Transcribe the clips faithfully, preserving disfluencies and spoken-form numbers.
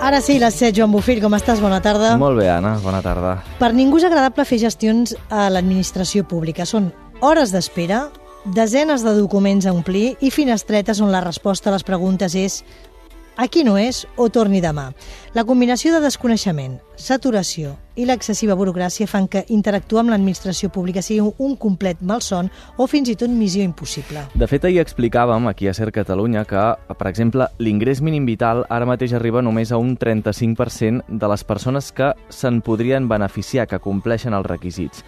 Ara sí, les set, Joan Bofill, com estàs? Bona tarda. Molt bé, Anna, bona tarda. Per ningú és agradable fer gestions a l'administració pública. Són hores d'espera, desenes de documents a omplir i finestretes on la resposta a les preguntes és aquí no és o torni demà. La combinació de desconeixement, saturació i l'excessiva burocràcia fan que interactuar amb l'administració pública sigui un complet malson o fins i tot missió impossible. De fet, ahir explicàvem aquí a Ser Catalunya que, per exemple, l'ingrés mínim vital ara mateix arriba només a un trenta-cinc per cent de les persones que se'n podrien beneficiar, que compleixen els requisits.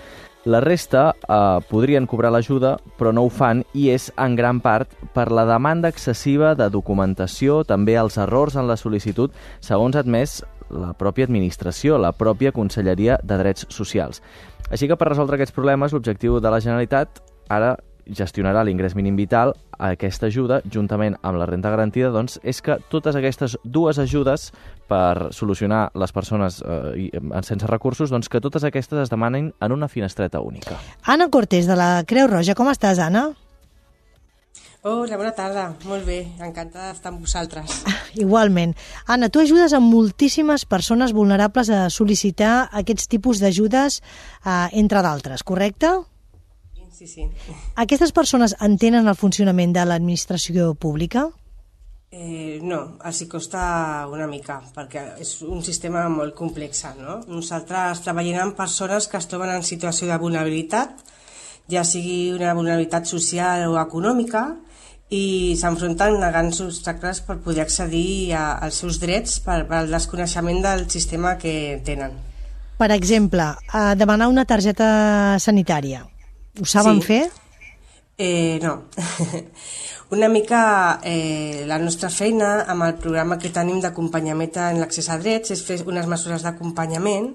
La resta eh, podrien cobrar l'ajuda, però no ho fan, i és en gran part per la demanda excessiva de documentació, també els errors en la sol·licitud, segons ha admès la pròpia administració, la pròpia Conselleria de Drets Socials. Així que per resoldre aquests problemes, l'objectiu de la Generalitat ara gestionarà l'ingrés mínim vital. Aquesta ajuda, juntament amb la renda garantida, doncs, és que totes aquestes dues ajudes per solucionar les persones eh, sense recursos, doncs que totes aquestes es demanen en una finestreta única. Anna Cortés, de la Creu Roja. Com estàs, Anna? Hola, bona tarda. Molt bé, encantada d'estar amb vosaltres. Igualment. Anna, tu ajudes a moltíssimes persones vulnerables a sol·licitar aquests tipus d'ajudes, eh, entre d'altres, correcte? Sí, sí. Aquestes persones entenen el funcionament de l'administració pública? Eh, no, els hi costa una mica, perquè és un sistema molt complex, no? Nosaltres treballem amb persones que es troben en situació de vulnerabilitat, ja sigui una vulnerabilitat social o econòmica, i s'enfronten a grans obstacles per poder accedir a, als seus drets per, per al desconeixement del sistema que tenen. Per exemple, a demanar una targeta sanitària. Ho saben sí. fer? Eh, no. Una mica eh, la nostra feina amb el programa que tenim d'acompanyament en l'accés a drets és fer unes mesures d'acompanyament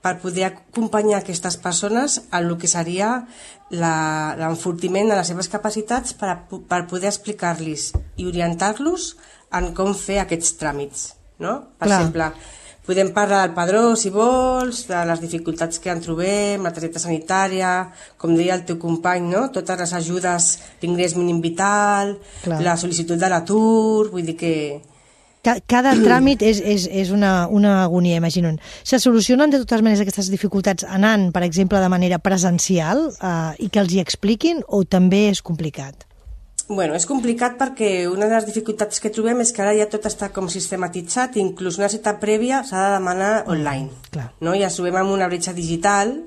per poder acompanyar aquestes persones en el que seria l'enfortiment de les seves capacitats per, a, per poder explicar-los i orientar-los en com fer aquests tràmits. No? Per Clar. exemple, podem parlar del padró, si vols, de les dificultats que en trobem, la targeta sanitària, com deia el teu company, no? Totes les ajudes, l'ingrés mínim vital, Clar. La sol·licitud de l'atur, vull dir que... Cada tràmit és, és, és una, una agonia, imagina't. Se solucionen de totes maneres aquestes dificultats anant, per exemple, de manera presencial eh, i que els hi expliquin, o també és complicat? Bueno, és complicat perquè una de les dificultats que trobem és que ara ja tot està com sistematitzat, inclús una cita prèvia s'ha de demanar online. Clar. No? Ja ens trobem amb una bretxa digital,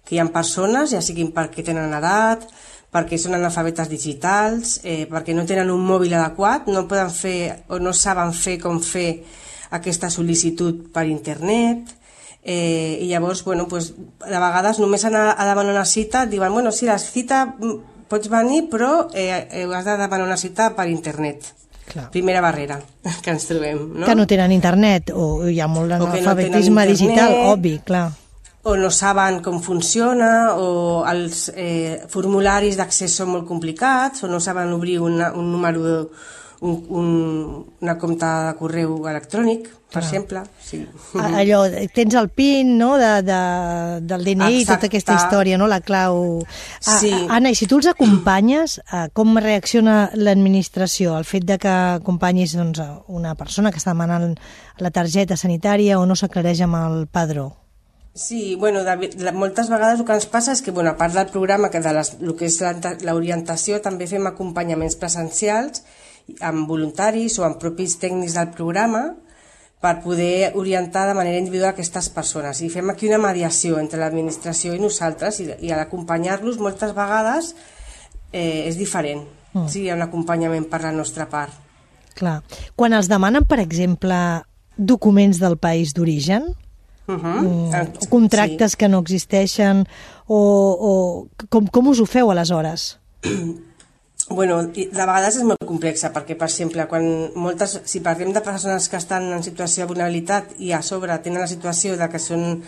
que hi ha persones, ja siguin perquè tenen edat, perquè són analfabetes digitals, eh, perquè no tenen un mòbil adequat, no poden fer o no saben fer com fer aquesta sol·licitud per internet, eh, i llavors, bueno, pues, de vegades només anar a demanar una cita, et diuen, bueno, sí, la cita pots venir, però eh, has de demanar una cita per internet. Clar. Primera barrera que ens trobem. No? Que no tenen internet, o hi ha molt d'analfabetisme no digital, obvi, clar. O no saben com funciona, o els eh, formularis d'accés són molt complicats, o no saben obrir una, un número, un, un, una compte de correu electrònic, per Clar. exemple. Sí. Allò, tens el PIN, no?, de, de, del D N I, Exacte. Tota aquesta història, no?, la clau... Sí. Anna, i si tu els acompanyes, com reacciona l'administració al fet de que acompanyis doncs, una persona que està demanant la targeta sanitària o no s'aclareix amb el padró? Sí, bueno, de, de, moltes vegades el que ens passa és que, bueno, a part del programa, que de les, el que és l'orientació, també fem acompanyaments presencials amb voluntaris o amb propis tècnics del programa per poder orientar de manera individual aquestes persones. I fem aquí una mediació entre l'administració i nosaltres, i, i l'acompanyar-los moltes vegades eh, és diferent. Mm. Sí, hi ha un acompanyament per la nostra part. Clar. Quan els demanen, per exemple, documents del país d'origen, Uh -huh. mm, contractes sí. que no existeixen, o, o com, com us ho feu aleshores? Bueno, de vegades és molt complexa, perquè, per exemple, quan moltes, si parlem de persones que estan en situació de vulnerabilitat i a sobre tenen la situació de que són,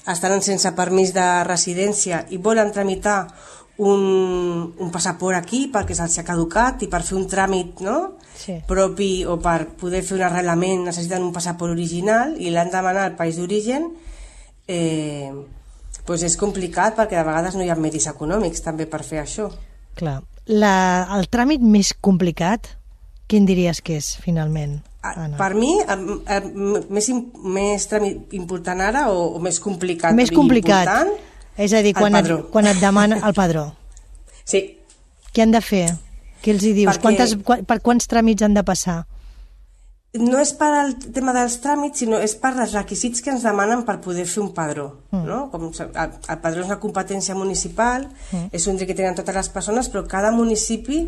estan sense permís de residència i volen tramitar un, un passaport aquí perquè se'ls ha caducat i per fer un tràmit, no? Sí. propi, o per poder fer un arrelament necessiten un passaport original i l'han de demanar al país d'origen, eh, doncs és complicat perquè de vegades no hi ha medis econòmics també per fer això. Clar. La, el tràmit més complicat quin diries que és, finalment? Anna. Per mi, més, més important ara o, o més complicat? Més complicat. Important, és a dir, quan et, quan et demana el padró. Sí. Què han de fer? Què els hi dius? Perquè... Quantes, per quants tràmits han de passar? No és per al tema dels tràmits, sinó és per als requisits que ens demanen per poder fer un padró. Mm. No? Com el, el padró és una competència municipal, mm. és un dret que tenen totes les persones, però cada municipi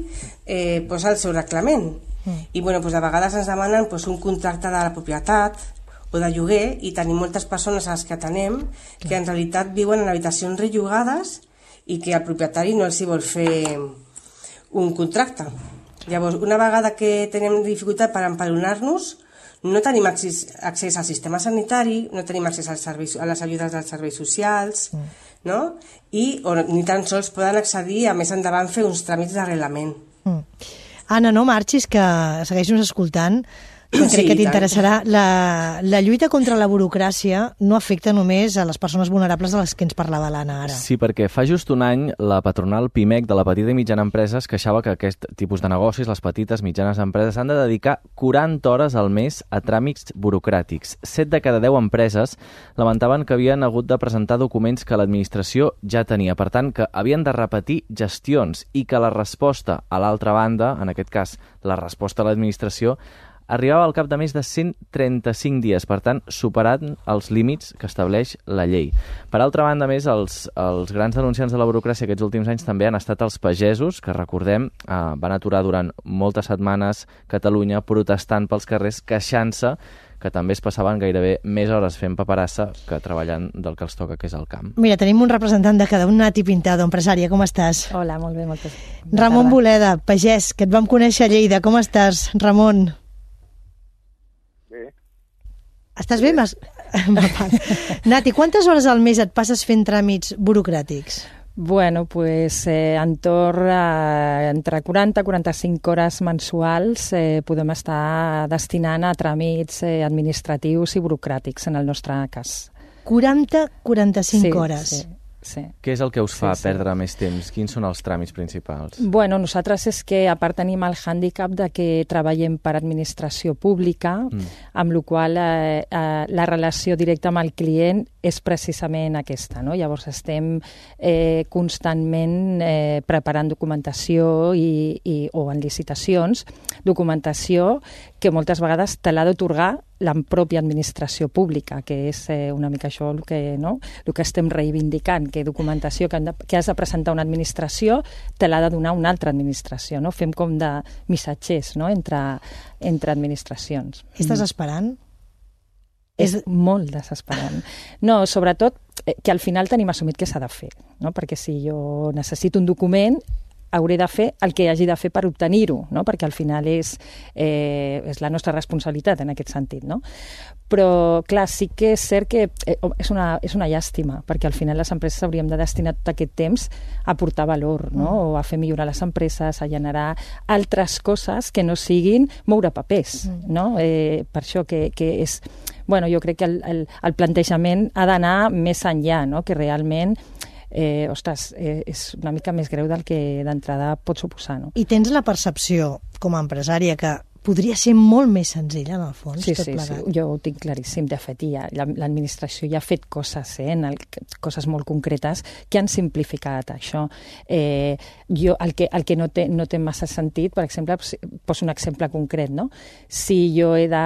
eh, posa el seu reglament. Mm. I bueno, doncs, a vegades ens demanen doncs, un contracte de la propietat o de lloguer, i tenim moltes persones a les que atenem que mm. en realitat viuen en habitacions rellogades i que el propietari no els hi vol fer un contracte. Llavors, una vegada que tenim dificultat per empadronar-nos, no tenim accés, accés al sistema sanitari, no tenim accés als serveis, a les ajudes dels serveis socials, mm. no? I o, ni tan sols poden accedir a més endavant fer uns tràmits d'arrelament. Mm. Anna, no marxis, que segueixo escoltant, que crec sí, que t'interessarà. La, la lluita contra la burocràcia no afecta només a les persones vulnerables de les que ens parlava l'Anna ara. Sí, perquè fa just un any la patronal PIMEC de la petita i mitjana empresa es queixava que aquest tipus de negocis, les petites i mitjanes empreses, han de dedicar quaranta hores al mes a tràmits burocràtics. Set de cada deu empreses lamentaven que havien hagut de presentar documents que l'administració ja tenia. Per tant, que havien de repetir gestions i que la resposta a l'altra banda, en aquest cas la resposta a l'administració, arribava al cap de més de cent trenta-cinc dies, per tant, superant els límits que estableix la llei. Per altra banda, més, els, els grans denunciants de la burocràcia aquests últims anys també han estat els pagesos, que, recordem, eh, van aturar durant moltes setmanes Catalunya protestant pels carrers, queixant-se que també es passaven gairebé més hores fent paperassa que treballant del que els toca, que és el camp. Mira, tenim un representant de cada un, Nati Pintado, empresària, com estàs? Hola, molt bé, moltes. Ramon Boleda, pagès, que et vam conèixer a Lleida, com estàs, Ramon? Estàs bé? Mas... Nati, quantes hores al mes et passes fent tràmits burocràtics? Bueno, pues eh, entorn a, entre quaranta i quaranta-cinc hores mensuals eh, podem estar destinant a tràmits eh, administratius i burocràtics, en el nostre cas. quaranta a quaranta-cinc sí, hores? Sí. Sí. Què és el que us fa sí, sí. perdre més temps? Quins són els tràmits principals? Bueno, nosaltres és que a part tenim el hàndicap de que treballem per administració pública, mm. amb la qual eh, eh, la relació directa amb el client és precisament aquesta, no? Llavors estem eh, constantment eh, preparant documentació i, i, o en licitacions, documentació que moltes vegades te l'ha d'atorgar la pròpia administració pública, que és eh, una mica això el que, no? el que estem reivindicant, que documentació que, de, que has de presentar una administració te l'ha de donar una altra administració. No? Fem com de missatgers, no? entre, entre administracions. Estàs esperant? És molt desesperant. No, sobretot eh, que al final tenim assumit que s'ha de fer, no? Perquè si jo necessito un document hauré de fer el que hagi de fer per obtenir-ho, no? Perquè al final és, eh, és la nostra responsabilitat en aquest sentit, no? Però, clar, sí que és cert que eh, és, una, és una llàstima, perquè al final les empreses hauríem de destinar tot aquest temps a aportar valor, no? Mm. O a fer millorar les empreses, a generar altres coses que no siguin moure papers, mm. no? Eh, per això que, que és... Bueno, jo crec que el, el, el plantejament ha d'anar més enllà, no? Que realment eh, ostres, eh, és una mica més greu del que d'entrada pot suposar. No? I tens la percepció, com a empresària, que podria ser molt més senzill, en el fons, sí, tot sí, plegat. Sí, jo ho tinc claríssim. De fet, ja, l'administració ja ha fet coses, eh, en el, coses molt concretes que han simplificat això. Eh, jo, el que, el que no, té, no té massa sentit, per exemple, poso un exemple concret, no? Si jo he de,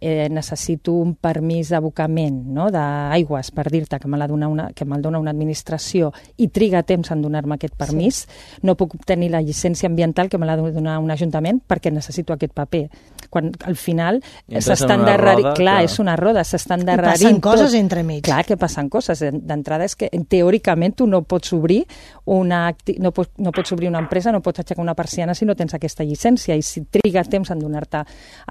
eh, necessito un permís d'abocament, no? d'aigües, per dir-te que me la dona una, que me'l dona una administració i triga temps en donar-me aquest permís, sí. no puc obtenir la llicència ambiental que me l'ha de donar un ajuntament perquè necessito aquest paper. Quan al final s'estan endarrerint... Clar, que... és una roda, s'estan endarrerint... I passen coses tot. Entremig. Clar que passen coses. D'entrada és que teòricament tu no pots obrir una, acti... no pots, no pots obrir una empresa, no pots aixecar una persiana si no tens aquesta llicència, i si triga temps en donar-te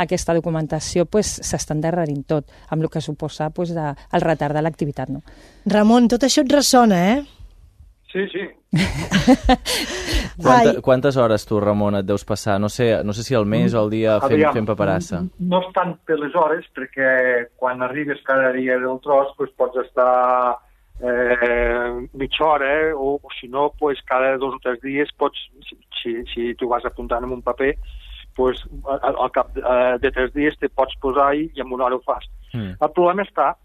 aquesta documentació, pues, s'està endarrerint tot, amb el que suposa pues, de, el retard de l'activitat. No? Ramon, tot això et ressona, eh? Sí, sí. Quanta, quantes hores tu, Ramon, et deus passar? No sé, no sé si al mes o al dia fent, fent paperassa. No és tant per les hores, perquè quan arribes cada dia del tros pues, pots estar eh, mitja hora, eh, o, o si no, pues, cada dos o tres dies pots, si, si tu vas apuntant en un paper, pues, al, al cap de, de tres dies te pots posar i, i en una hora ho fas. Mm. El problema està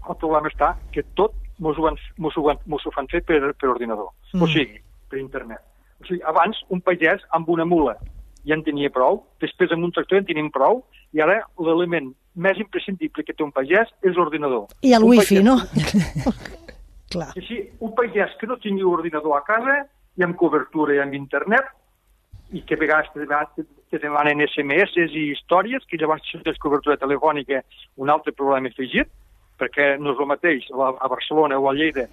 el problema està que tot mos ho, han, mos ho, han, mos ho fan fer per, per ordinador, mm. o sigui, per internet. O sigui, abans un pagès amb una mula ja en tenia prou, després amb un tractor en tenim prou, i ara l'element més imprescindible que té un pagès és l'ordinador. I el un wifi, pagès... no? Clar. Sí, sí, un pagès que no tingui ordinador a casa, i amb cobertura i amb internet, i que a vegades te, te demanen S M S i històries, que llavors si tens cobertura telefònica, un altre problema afegit, perquè no és el mateix a Barcelona o a Lleida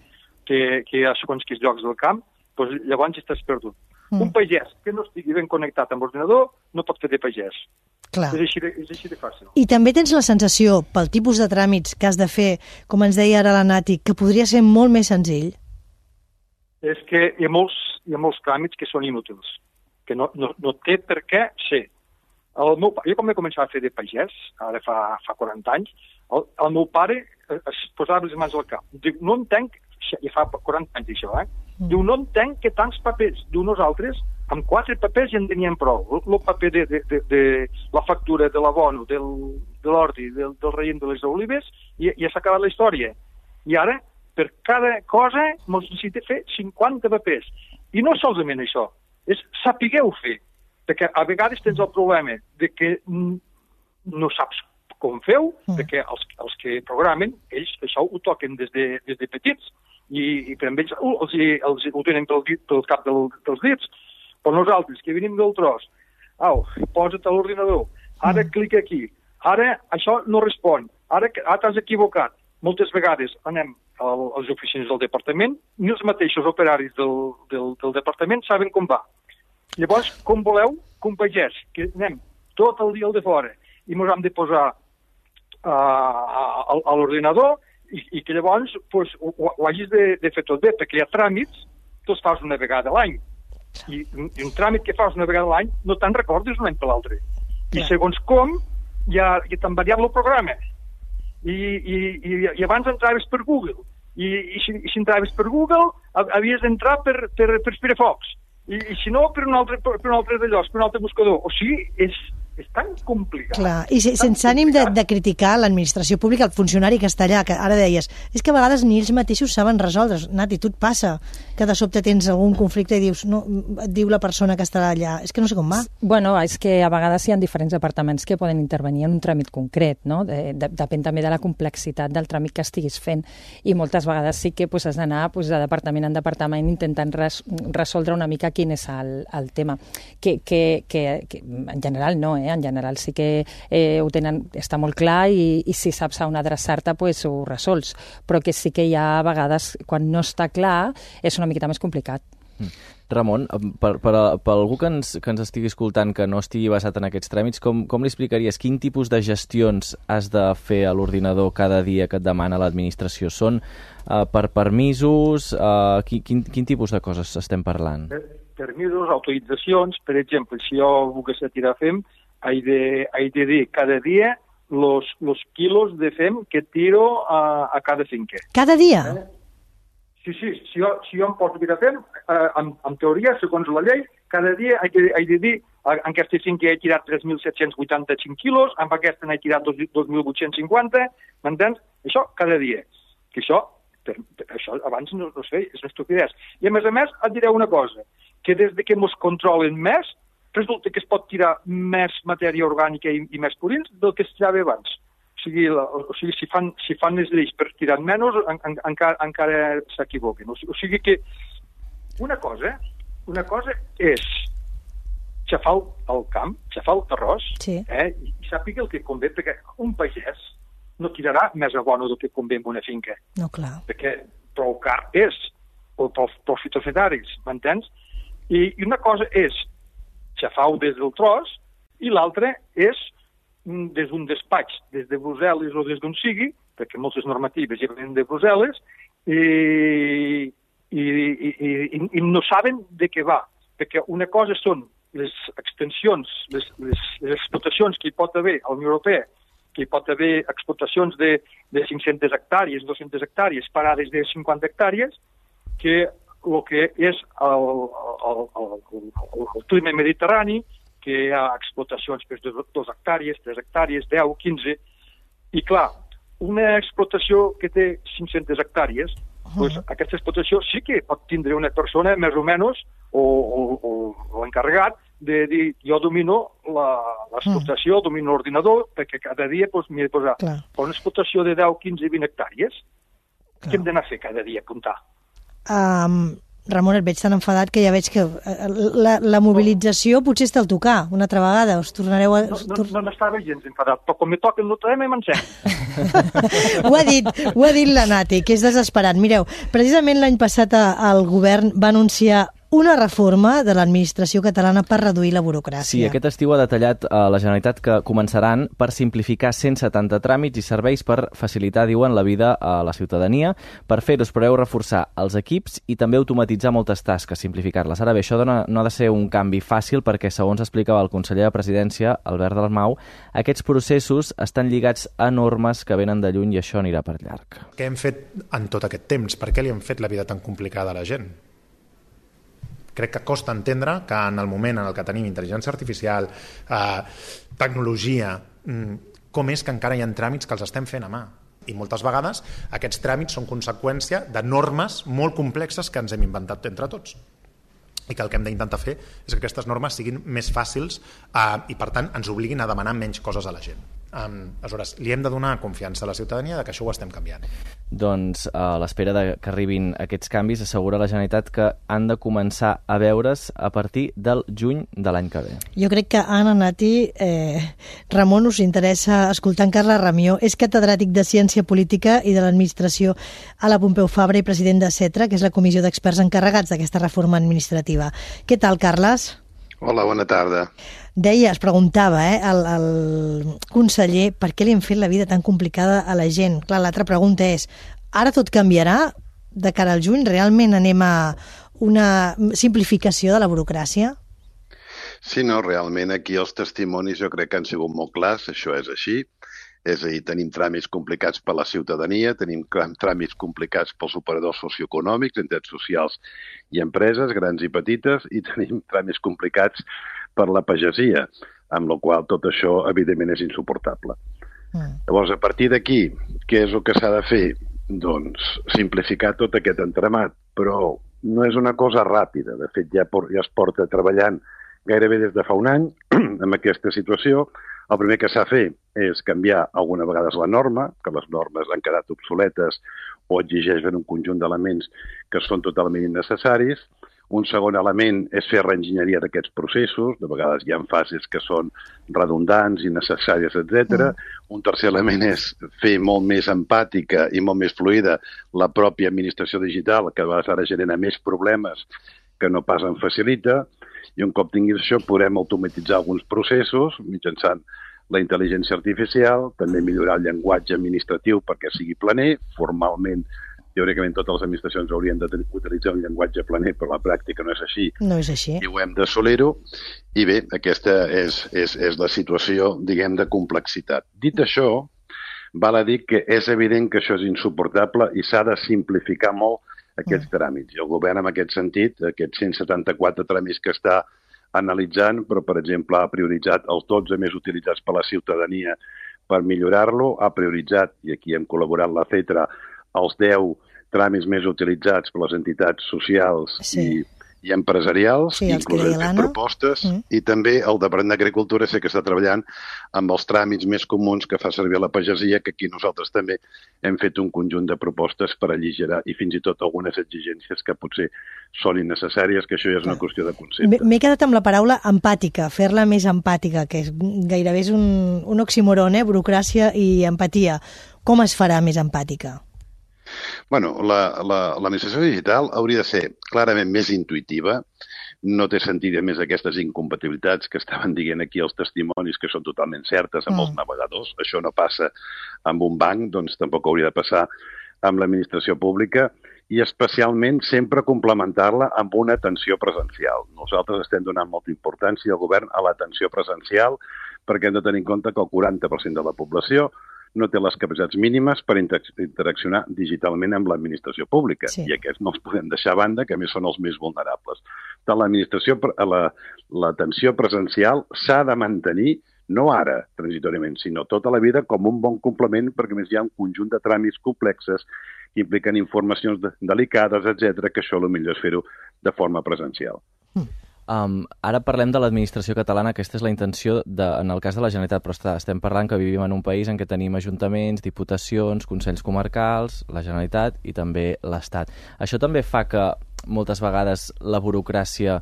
que, que a segons quins llocs del camp, doncs llavors estàs perdut. Mm. Un pagès que no estigui ben connectat amb l'ordinador no pot fer de pagès. Clar. És així de, és així de fàcil. I també tens la sensació, pel tipus de tràmits que has de fer, com ens deia ara la Nati, que podria ser molt més senzill? És que hi ha molts, hi ha molts tràmits que són inútils, que no, no, no té per què ser. El meu, jo quan vaig començar a fer de pagès, ara fa, fa quaranta anys, el, el meu pare es posava les mans al cap. Diu, no entenc, ja fa quaranta anys això, eh? Diu, no entenc que tants papers. Diu, nosaltres, amb quatre papers ja en teníem prou. El, el paper de, de, de, de la factura de l'abono, del, de l'ordi, del, del raïm de les olives, i ja s'ha acabat la història. I ara, per cada cosa, ens necessita fer cinquanta papers. I no solament això, és sapigueu fer. Perquè a vegades tens el problema de que no saps com feu, mm. perquè els, els que programen, ells això ho toquen des de, des de petits, i, i per ells uh, els, els, ho tenen pel, pel cap del, dels dits. Però nosaltres, que venim del tros, au, posa't a l'ordinador, ara mm. clica aquí, ara això no respon, ara, ara t'has equivocat. Moltes vegades anem al, als oficines del departament, ni els mateixos operaris del, del, del departament saben com va. Llavors, com voleu, com pagès, que anem tot el dia al de fora i ens hem de posar uh, a, a l'ordinador i, i que llavors pues, ho, ho hagis de, de fer tot bé, perquè hi ha tràmits que els fas una vegada a l'any. I, I un tràmit que fas una vegada a l'any no te'n recordes un any per l'altre. I segons com, ja, ja t'han variat el programa. I, i, i, i abans entraves per Google. I, i, si, i si entraves per Google, havies d'entrar per, per, per Firefox. I, i si no, per un altre, per un altre d'allò, per un altre buscador. O sigui, és, és tan complicat. Clar, i se, sense ànim de, de criticar l'administració pública, el funcionari que està allà, que ara deies, és que a vegades ni ells mateixos saben resoldre. Nati, tu et passa que de sobte tens algun conflicte i dius, no, et diu la persona que estarà allà, és que no sé com va. Bueno, és que a vegades hi ha diferents departaments que poden intervenir en un tràmit concret, no? De, de, depèn també de la complexitat del tràmit que estiguis fent, i moltes vegades sí que pues, has d'anar pues, de departament en departament intentant res, resoldre una mica quin és el, el tema. Que, que, que, que en general no, eh? En general sí que eh, ho tenen, està molt clar, i, i si saps a on adreçar-te pues, ho resols, però que sí que hi ha a vegades, quan no està clar, és una miqueta més complicat. Mm. Ramon, per, per, per algú que ens, que ens estigui escoltant que no estigui basat en aquests tràmits, com, com li explicaries quin tipus de gestions has de fer a l'ordinador cada dia que et demana l'administració? Són uh, per permisos? Uh, quin, quin, quin tipus de coses estem parlant? Permisos, autoritzacions, per exemple, si jo volgués tirar fem, he de, he de dir cada dia los, los quilos de fem que tiro a, a cada finca. Cada dia? Eh? Sí, sí, si jo, si jo em poso a tirar fem, eh, en, en teoria, segons la llei, cada dia he de, he de dir en aquesta finca he tirat tres mil set-cents vuitanta-cinc quilos, en aquesta n'he tirat dos mil vuit-cents cinquanta, m'entens? Això cada dia. Que això, per, per, això abans no, no sé, és una estupidesa. I a més a més et diré una cosa, que des de que ens controlen més, resulta que es pot tirar més matèria orgànica i, i més purins del que es tirava abans. O sigui, la, o sigui si, fan, si fan les lleis per tirar menys, en, en, encara, encara s'equivoquen. O, o sigui que una cosa, una cosa és xafar el camp, xafar el terrós, sí. eh, i, i sàpiga el que convé, perquè un pagès no tirarà més abono del que convé en una finca. No, clar. Perquè prou car és, o prou fitosanitaris, m'entens? I, I una cosa és xafar-ho des del tros, i l'altre és des d'un despatx, des de Brussel·les o des d'on sigui, perquè moltes normatives ja venen de Brussel·les, i, i, i, i, i no saben de què va. Perquè una cosa són les extensions, les, les, les explotacions que hi pot haver a la Unió Europea, que hi pot haver explotacions de, de cinc-centes hectàrees, dues-centes hectàrees, parades de cinquanta hectàrees, que el que és el, el, el, el, el clima mediterrani, que hi ha explotacions per dues hectàrees, tres hectàrees, deu, quinze, i clar, una explotació que té cinc-centes hectàrees, uh-huh. doncs aquesta explotació sí que pot tindre una persona més o menys, o, o, o, o l'encarregat, de dir, jo domino l'explotació, uh-huh. domino l'ordinador, perquè cada dia doncs, m'he de posar clar. Una explotació de deu, quinze, vint hectàrees, clar. Què hem d'anar a fer cada dia, apuntar? Um, Ramon, et veig tan enfadat que ja veig que la, la mobilització potser està al tocar una altra vegada. Us tornareu a... No, no, no n'estava gens enfadat, però com me toca el notarem i m'encén. ho ha dit, ho ha dit la Nati, que és desesperat. Mireu, precisament l'any passat el govern va anunciar una reforma de l'administració catalana per reduir la burocràcia. Sí, aquest estiu ha detallat a la Generalitat que començaran per simplificar cent setanta tràmits i serveis per facilitar, diuen, la vida a la ciutadania. Per fer-ho es preveu reforçar els equips i també automatitzar moltes tasques, simplificar-les. Ara bé, això no, no ha de ser un canvi fàcil perquè, segons explicava el conseller de Presidència, Albert Dalmau, aquests processos estan lligats a normes que venen de lluny i això anirà per llarg. Què hem fet en tot aquest temps? Per què li hem fet la vida tan complicada a la gent? Crec que costa entendre que en el moment en el que tenim intel·ligència artificial, eh, tecnologia, com és que encara hi ha tràmits que els estem fent a mà. I moltes vegades aquests tràmits són conseqüència de normes molt complexes que ens hem inventat entre tots. I que el que hem d'intentar fer és que aquestes normes siguin més fàcils eh, i, per tant, ens obliguin a demanar menys coses a la gent. Um, aleshores, li hem de donar confiança a la ciutadania de que això ho estem canviant. Doncs a l'espera de que arribin aquests canvis, assegura la Generalitat que han de començar a veure's a partir del juny de l'any que ve. Jo crec que Anna, Nati, eh, Ramon, us interessa escoltar en Carles Ramió. És catedràtic de Ciència Política i de l'Administració a la Pompeu Fabra i president de CETRA, que és la comissió d'experts encarregats d'aquesta reforma administrativa. Què tal, Carles? Hola, bona tarda. Deia, es preguntava, eh, el, el conseller, per què li hem fet la vida tan complicada a la gent? Clar, l'altra pregunta és, ara tot canviarà de cara al juny? Realment anem a una simplificació de la burocràcia? Sí, no, realment aquí els testimonis jo crec que han sigut molt clars, això és així. És a dir, tenim tràmits complicats per la ciutadania, tenim tràmits complicats pels operadors socioeconòmics, entitats socials i empreses, grans i petites, i tenim tràmits complicats per la pagesia, amb la qual tot això, evidentment, és insuportable. Mm. Llavors, a partir d'aquí, què és el que s'ha de fer? Doncs simplificar tot aquest entramat, però no és una cosa ràpida. De fet, ja, ja es porta treballant gairebé des de fa un any amb aquesta situació. El primer que s'ha de fer és canviar alguna vegades la norma, que les normes han quedat obsoletes o exigeixen un conjunt d'elements que són totalment innecessaris. Un segon element és fer reenginyeria d'aquests processos, de vegades hi ha fases que són redundants, innecessàries, etcètera. Mm. Un tercer element és fer molt més empàtica i molt més fluida la pròpia administració digital, que a vegades ara genera més problemes que no pas en facilita. I un cop tinguis això podrem automatitzar alguns processos mitjançant la intel·ligència artificial, també millorar el llenguatge administratiu perquè sigui planer. Formalment, teòricament, totes les administracions haurien d'utilitzar un llenguatge planer, però la pràctica no és així. No és així. I ho hem d'assolir-ho. I bé, aquesta és, és, és la situació, diguem, de complexitat. Dit això, val a dir que és evident que això és insuportable i s'ha de simplificar molt aquests tràmits. I el govern, en aquest sentit, aquests cent setanta-quatre tràmits que està analitzant, però, per exemple, ha prioritzat els dotze més utilitzats per la ciutadania per millorar-lo, ha prioritzat, i aquí hem col·laborat la CETRA, els deu tràmits més utilitzats per les entitats socials sí. i, i empresarials, sí, inclús les propostes, mm. i també el Departament d'Agricultura sé que està treballant amb els tràmits més comuns que fa servir la pagesia, que aquí nosaltres també hem fet un conjunt de propostes per alligerar i fins i tot algunes exigències que potser són innecessàries, que això ja és una qüestió de concepte. M'he quedat amb la paraula empàtica, fer-la més empàtica, que és, gairebé és un, un oxímoron, eh? Burocràcia i empatia. Com es farà més empàtica? Bueno, l'administració digital hauria de ser clarament més intuïtiva. No té sentit, a més, aquestes incompatibilitats que estaven dient aquí els testimonis que són totalment certes amb mm. els navegadors. Això no passa amb un banc, doncs tampoc hauria de passar amb l'administració pública, i especialment sempre complementar-la amb una atenció presencial. Nosaltres estem donant molta importància al govern a l'atenció presencial perquè hem de tenir en compte que el quaranta per cent de la població no té les capacitats mínimes per interaccionar digitalment amb l'administració pública. Sí. I aquests no els podem deixar a banda, que a més són els més vulnerables. l'administració, l'atenció presencial s'ha de mantenir, no ara, transitoriament, sinó tota la vida com un bon complement, perquè més hi ha un conjunt de tràmits complexes que impliquen informacions de, delicades, etcètera, que això potser és fer-ho de forma presencial. Um, ara parlem de l'administració catalana, aquesta és la intenció de, en el cas de la Generalitat, però està, estem parlant que vivim en un país en què tenim ajuntaments, diputacions, consells comarcals, la Generalitat i també l'Estat. Això també fa que moltes vegades la burocràcia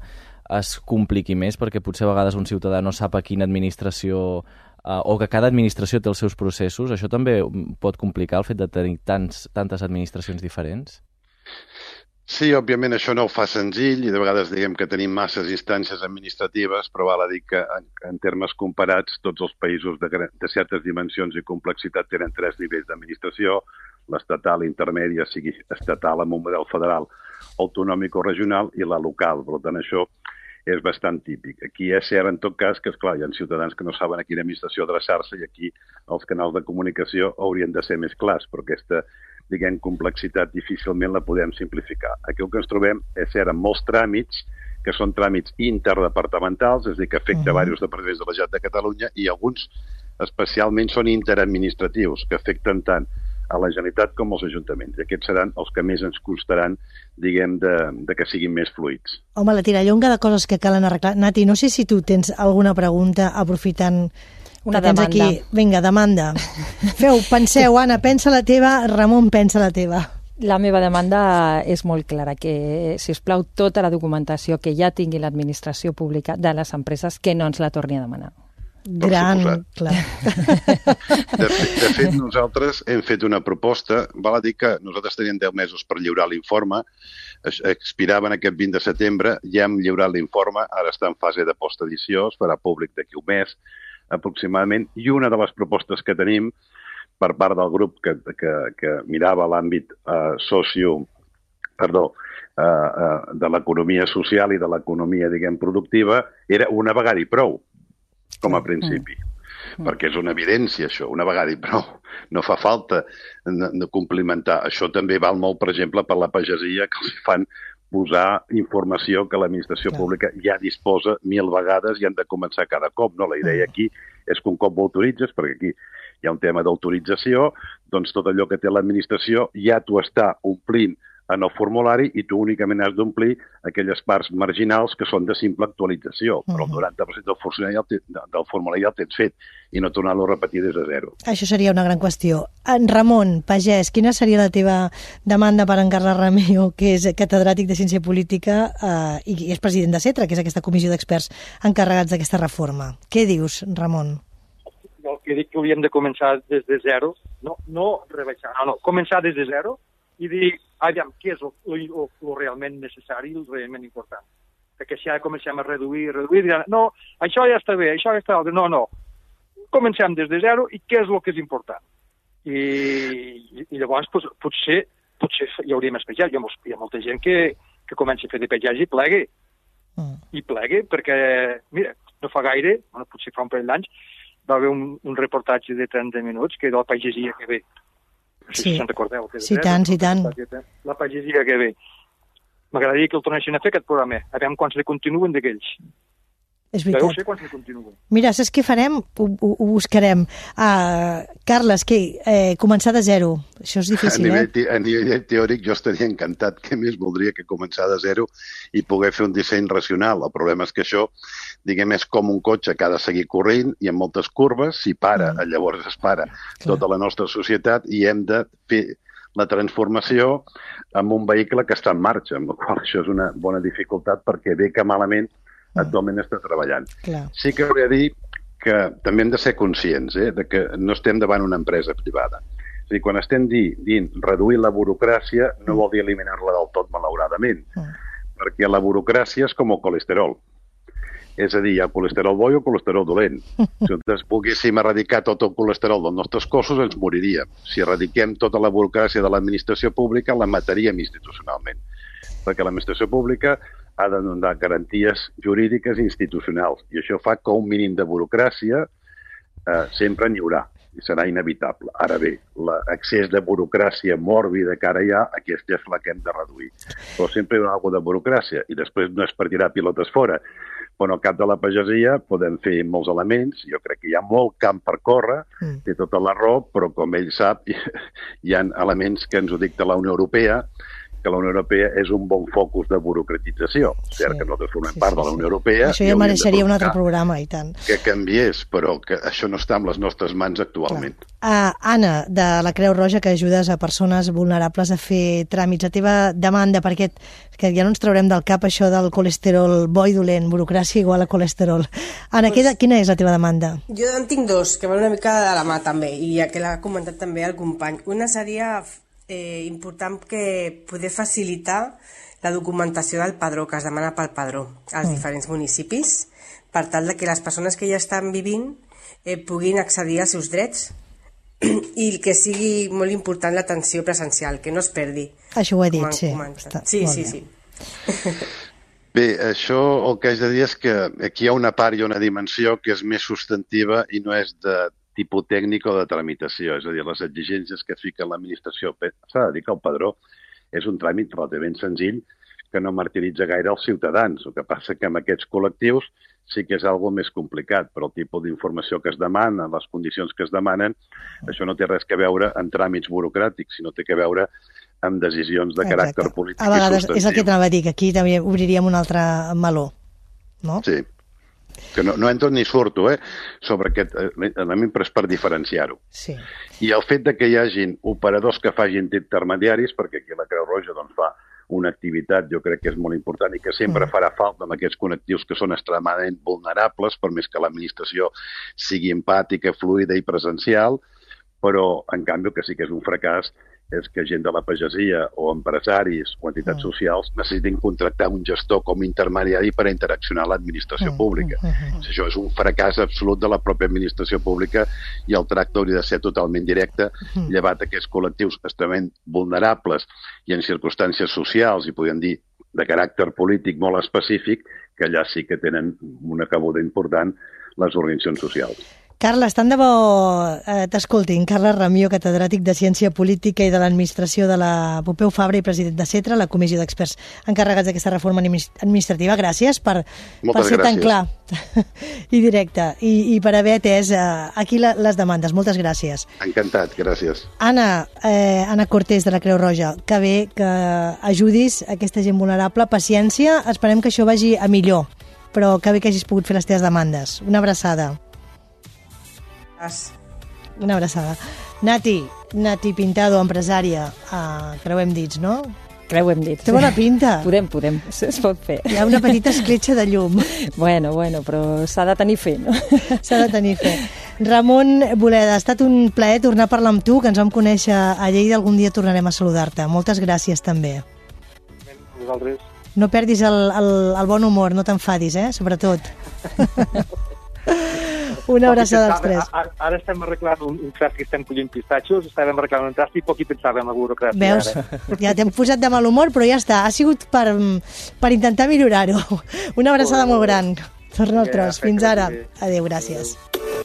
es compliqui més, perquè potser a vegades un ciutadà no sap a quina administració uh, o que cada administració té els seus processos. Això també pot complicar el fet de tenir tants, tantes administracions diferents? Sí, òbviament això no ho fa senzill i de vegades diguem que tenim masses instàncies administratives, però val a dir que en, en termes comparats tots els països de, de certes dimensions i complexitat tenen tres nivells d'administració, l'estatal, intermèdia, sigui estatal amb un model federal, autonòmic o regional i la local. Per tant, això és bastant típic. Aquí és cert, en tot cas, que esclar, hi ha ciutadans que no saben a quina administració adreçar-se i aquí els canals de comunicació haurien de ser més clars, però aquesta diguem, complexitat difícilment la podem simplificar. Aquí el que ens trobem és cert amb molts tràmits que són tràmits interdepartamentals, és a dir, que afecta uh-huh. diversos departaments de la Generalitat de Catalunya i alguns especialment són interadministratius, que afecten tant a la Generalitat com als ajuntaments. I aquests seran els que més ens costaran, diguem, de, de que siguin més fluids. Home, la tirallonga de coses que calen arreglar. Nati, no sé si tu tens alguna pregunta aprofitant una que tens demanda. aquí. Vinga, demanda. Feu, penseu, Anna, pensa la teva, Ramon, pensa la teva. La meva demanda és molt clara, que, si us plau, tota la documentació que ja tingui l'administració pública de les empreses, que no ens la torni a demanar. Gran, clar. De, de fet, nosaltres hem fet una proposta, val a dir que nosaltres teníem deu mesos per lliurar l'informe, expiraven aquest vint de setembre, ja hem lliurat l'informe, ara està en fase de postedició, es farà públic d'aquí un mes aproximadament, i una de les propostes que tenim per part del grup que, que, que mirava l'àmbit eh, socio, perdó, eh, eh, de l'economia social i de l'economia, diguem, productiva, era una vegada i prou, com a principi. Mm. Perquè és una evidència, això, una vegada i prou. No fa falta de complimentar. Això també val molt, per exemple, per la pagesia, que els fan posar informació que l'administració Clar. pública ja disposa mil vegades i han de començar cada cop. No? La idea aquí és que un cop ho autoritzes, perquè aquí hi ha un tema d'autorització, doncs tot allò que té l'administració ja t'ho està omplint en el formulari i tu únicament has d'omplir aquelles parts marginals que són de simple actualització, però el noranta per cent del formulari ja el, del formulari ja el tens fet i no tornar-lo a repetir des de zero. Això seria una gran qüestió. En Ramon, pagès, quina seria la teva demanda per en Carles Remeo, que és catedràtic de Ciència Política eh, i és president de CETRA, que és aquesta comissió d'experts encarregats d'aquesta reforma? Què dius, Ramon? Jo el que dic que hauríem de començar des de zero, no, no rebaixar, no, no, començar des de zero i dir, aviam, què és el realment necessari, el realment important. Perquè si ara comencem a reduir, reduir, diran, no, això ja està bé, això ja està bé. No, no. Comencem des de zero i què és el que és important. I, i, i llavors pues, potser, potser hi hauria més pagès. Hi ha, molts, hi ha molta gent que, que comença a fer de pagès i plegui. Mm. I plegui perquè, mira, no fa gaire, bueno, potser fa un parell d'anys, va haver un, un reportatge de trenta minuts que era la pagesia que ve. Sí, si se'n recordeu. Que sí, tant, sí, tant. La pagesia que ve. M'agradaria que el tornessin a fer aquest programa. A veure quants ne continuen d'aquells. És veritat. Ja ho sé quants ne continuen. Mira, saps què farem? Ho, ho, ho buscarem. Uh, Carles, què? Eh, començar de zero. Això és difícil, a nivell, eh? A nivell teòric jo estaria encantat. Què més voldria que començar de zero i poder fer un disseny racional? El problema és que això, diguem, és com un cotxe que ha de seguir corrent i amb moltes curves. Si para, mm. llavors es para Clar. tota la nostra societat i hem de fer la transformació amb un vehicle que està en marxa, amb la qual això és una bona dificultat perquè bé que malament actualment està treballant. Clar. Sí que hauria de dir que també hem de ser conscients eh, de que no estem davant una empresa privada. És a dir, quan estem di, dient reduir la burocràcia no vol dir eliminar-la del tot, malauradament, mm. perquè la burocràcia és com el colesterol. És a dir, hi ha colesterol bo i colesterol dolent. Si nosaltres poguéssim erradicar tot el colesterol dels nostres cossos, ens moriríem. Si erradiquem tota la burocràcia de l'administració pública, la mataríem institucionalment. Perquè l'administració pública ha de donar garanties jurídiques i institucionals. I això fa que un mínim de burocràcia eh, sempre n'hi haurà. i serà inevitable. Ara bé, l'accés de burocràcia mòrbida que ara hi ha, aquesta és la que hem de reduir. Però sempre hi ha alguna de burocràcia i després no es per tirar pilotes fora. Però al cap de la pagesia podem fer molts elements, jo crec que hi ha molt camp per córrer, mm. té tota la raó, però com ell sap, hi ha elements que ens ho dicta la Unió Europea, que la Unió Europea és un bon focus de burocratització. Sí, cert que nosaltres formem sí, part sí, de la Unió Europea. Això ja mereixeria un altre programa, i tant. Que canviés, però que això no està en les nostres mans actualment. Uh, Anna, de la Creu Roja, que ajudes a persones vulnerables a fer tràmits. La teva demanda, perquè que ja no ens traurem del cap això del colesterol bo i dolent, burocràcia igual a colesterol. Anna, pues, quina és la teva demanda? Jo en tinc dos, que van una mica de la mà també, i ja que l'ha comentat també el company. Una seria eh, important que poder facilitar la documentació del padró, que es demana pel padró als mm. diferents municipis, per tal de que les persones que ja estan vivint eh, puguin accedir als seus drets i que sigui molt important l'atenció presencial, que no es perdi. Això ho he dit, sí. Està, sí, sí, sí. Bé, això el que haig de dir és que aquí hi ha una part i una dimensió que és més substantiva i no és de tipus tècnic o de tramitació, és a dir, les exigències que fica l'administració. S'ha de dir que el padró és un tràmit relativament senzill que no martiritza gaire els ciutadans. El que passa que amb aquests col·lectius sí que és algo més complicat, però el tipus d'informació que es demana, les condicions que es demanen, això no té res que veure amb tràmits burocràtics, sinó té que veure amb decisions de Exacte. Caràcter polític i substantiu. A vegades és el que t'anava a dir, que aquí també obriríem un altre meló, no? Sí. Que no, no entro ni surto, eh, sobre aquest element, però és per diferenciar-ho. Sí. I el fet de que hi hagin operadors que facin intermediaris, perquè aquí la Creu Roja doncs, fa una activitat, jo crec que és molt important i que sempre mm. farà falta amb aquests connectius que són extremadament vulnerables, per més que l'administració sigui empàtica, fluida i presencial, però, en canvi, que sí que és un fracàs és que gent de la pagesia o empresaris o entitats mm. socials necessitin contractar un gestor com a intermediari per a interaccionar amb l'administració mm. pública. Mm. Això és un fracàs absolut de la pròpia administració pública i el tracte hauria de ser totalment directe, mm. llevat aquests col·lectius extremament vulnerables i en circumstàncies socials, i podríem dir de caràcter polític molt específic, que allà sí que tenen una cabuda important les organitzacions socials. Carles, tant de bo eh, t'escoltin. Carles Ramió, catedràtic de Ciència Política i de l'Administració de la Pompeu Fabra i president de CETRA, la comissió d'experts encarregats d'aquesta reforma administrativa. Gràcies per, per ser gràcies. Tan clar i directe i, i per haver atès eh, aquí la, les demandes. Moltes gràcies. Encantat, gràcies. Anna, eh, Anna Cortés, de la Creu Roja, que bé que ajudis aquesta gent vulnerable. Paciència, esperem que això vagi a millor, però que bé que hagis pogut fer les teves demandes. Una abraçada. Una abraçada. Nati, Nati Pintado, empresària, uh, creuem dits, no? Creuem dits. Té bona pinta. Podem, podem, es pot fer. Hi ha una petita escletxa de llum. Bueno, bueno, però s'ha de tenir fe, no? S'ha de tenir fe. Ramon Boleda, ha estat un plaer tornar a parlar amb tu, que ens vam conèixer a Lleida, algun dia tornarem a saludar-te. Moltes gràcies, també. Vosaltres. No perdis el, el, el bon humor, no t'enfadis, eh? Sobretot. Una abraçada als tres. Ara, ara estem arreglant un, un trast que estem collint pistatxos, estàvem arreglant un trast i poc hi pensàvem en la burocràcia. Veus? Ara. Ja t'hem posat de mal humor, però ja està. Ha sigut per, per intentar millorar-ho. Una abraçada molt gran. Torna al tros. Fins ara. Adéu, gràcies. Adéu.